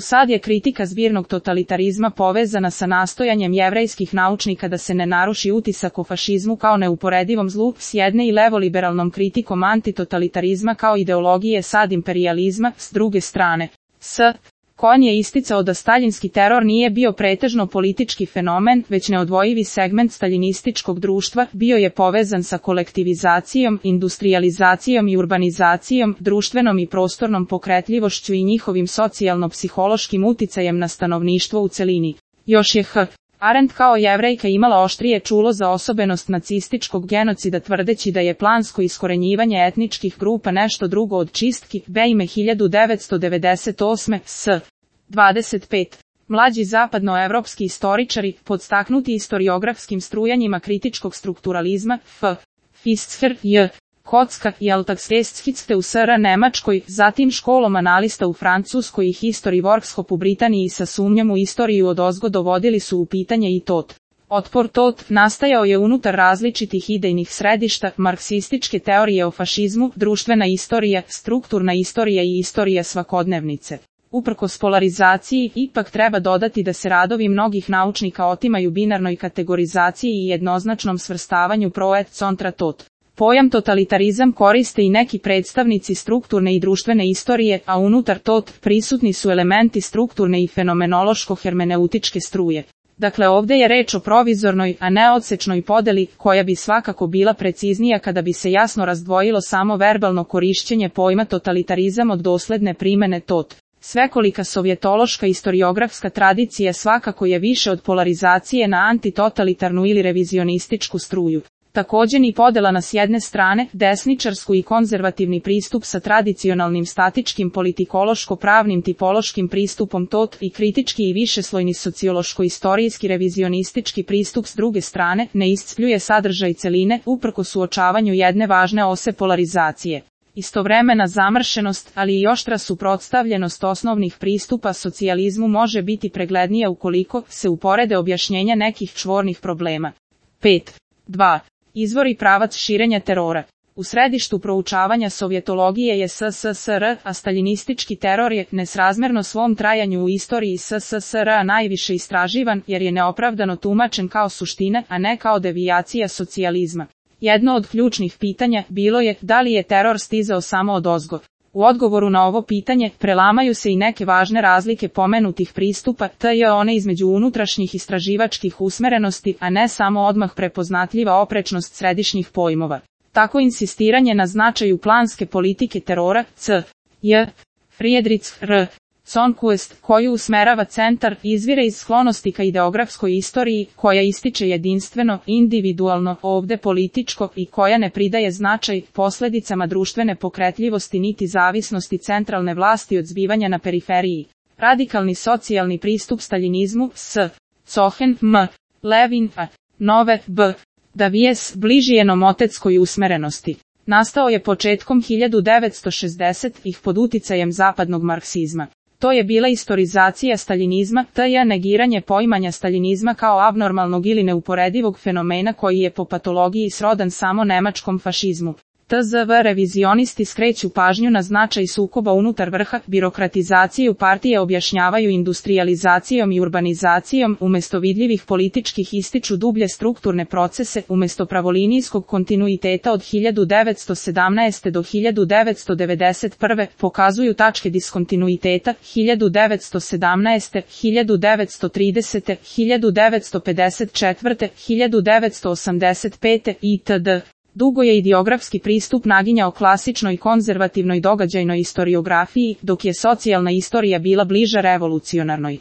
Sad je kritika zbirnog totalitarizma povezana sa nastojanjem jevrejskih naučnika da se ne naruši utisak o fašizmu kao neuporedivom zlu s jedne i levoliberalnom kritikom antitotalitarizma kao ideologije sad imperijalizma s druge strane. Cohen je isticao da staljinski teror nije bio pretežno politički fenomen, već neodvojivi segment staljinističkog društva, bio je povezan sa kolektivizacijom, industrijalizacijom i urbanizacijom, društvenom i prostornom pokretljivošću i njihovim socijalno-psihološkim uticajem na stanovništvo u celini. Još je Arendt kao Jevrejka imala oštrije čulo za osobenost nacističkog genocida tvrdeći da je plansko iskorenjivanje etničkih grupa nešto drugo od čistki, ime 1998. s. 25. Mlađi zapadnoevropski istoričari, podstaknuti istoriografskim strujanjima kritičkog strukturalizma, Fischler, J. Kocka i Alltagsgeschichte u SR Nemačkoj, zatim školom analista u Francuskoj i History Workshop u Britaniji sa sumnjom u istoriju odozgo dovodili su u pitanje i tot. Otpor tot nastajao je unutar različitih idejnih središta, marksističke teorije o fašizmu, društvena istorija, strukturna istorija i istorija svakodnevnice. Uprkos polarizaciji, ipak treba dodati da se radovi mnogih naučnika otimaju binarnoj kategorizaciji i jednoznačnom svrstavanju pro et contra tot. Pojam totalitarizam koriste i neki predstavnici strukturne i društvene istorije, a unutar tot prisutni su elementi strukturne i fenomenološko-hermeneutičke struje. Dakle, ovdje je reč o provizornoj, a ne odsečnoj podeli, koja bi svakako bila preciznija kada bi se jasno razdvojilo samo verbalno korišćenje pojma totalitarizam od dosledne primene tot. Svekolika sovjetološka istoriografska tradicija svakako je više od polarizacije na antitotalitarnu ili revizionističku struju. Također ni podela na s jedne strane, desničarsku i konzervativni pristup sa tradicionalnim statičkim politikološko-pravnim tipološkim pristupom tot i kritički i višeslojni sociološko-istorijski revizionistički pristup s druge strane, ne iscrpljuje sadržaj celine, uprkos suočavanju jedne važne ose polarizacije. Istovremena zamršenost, ali i oštra suprotstavljenost osnovnih pristupa socijalizmu može biti preglednija ukoliko se uporede objašnjenja nekih čvornih problema. 5.2. Izvor i pravac širenja terora. U središtu proučavanja sovjetologije je SSSR, a staljinistički teror je, nesrazmjerno svom trajanju u istoriji SSSR-a najviše istraživan, jer je neopravdano tumačen kao suština, a ne kao devijacija socijalizma. Jedno od ključnih pitanja bilo je da li je teror stizao samo odozgo. U odgovoru na ovo pitanje prelamaju se i neke važne razlike pomenutih pristupa, te one između unutrašnjih istraživačkih usmerenosti, a ne samo odmah prepoznatljiva oprečnost središnjih pojmova. Tako insistiranje na značaju planske politike terora, Friedrich R. Zonquist, koju usmerava centar, izvire iz sklonosti ka ideografskoj istoriji, koja ističe jedinstveno, individualno, ovde političko i koja ne pridaje značaj posljedicama društvene pokretljivosti niti zavisnosti centralne vlasti od zbivanja na periferiji. Radikalni socijalni pristup staljinizmu, Cohen, M. Levin, A. Nove, B. Davies, bliži je nomotetskoj usmerenosti. Nastao je početkom 1960-ih pod uticajem zapadnog marksizma. To je bila istorizacija staljinizma, te negiranje poimanja staljinizma kao abnormalnog ili neuporedivog fenomena koji je po patologiji srodan samo nemačkom fašizmu. TZV revizionisti skreću pažnju na značaj sukoba unutar vrha, birokratizaciju partije objašnjavaju industrijalizacijom i urbanizacijom, umjesto vidljivih političkih ističu dublje strukturne procese, umjesto pravolinijskog kontinuiteta od 1917. do 1991. pokazuju tačke diskontinuiteta 1917. 1930. 1954. 1985. itd. Dugo je ideografski pristup naginjao klasičnoj konzervativnoj događajnoj istoriografiji, dok je socijalna istorija bila bliža revolucionarnoj.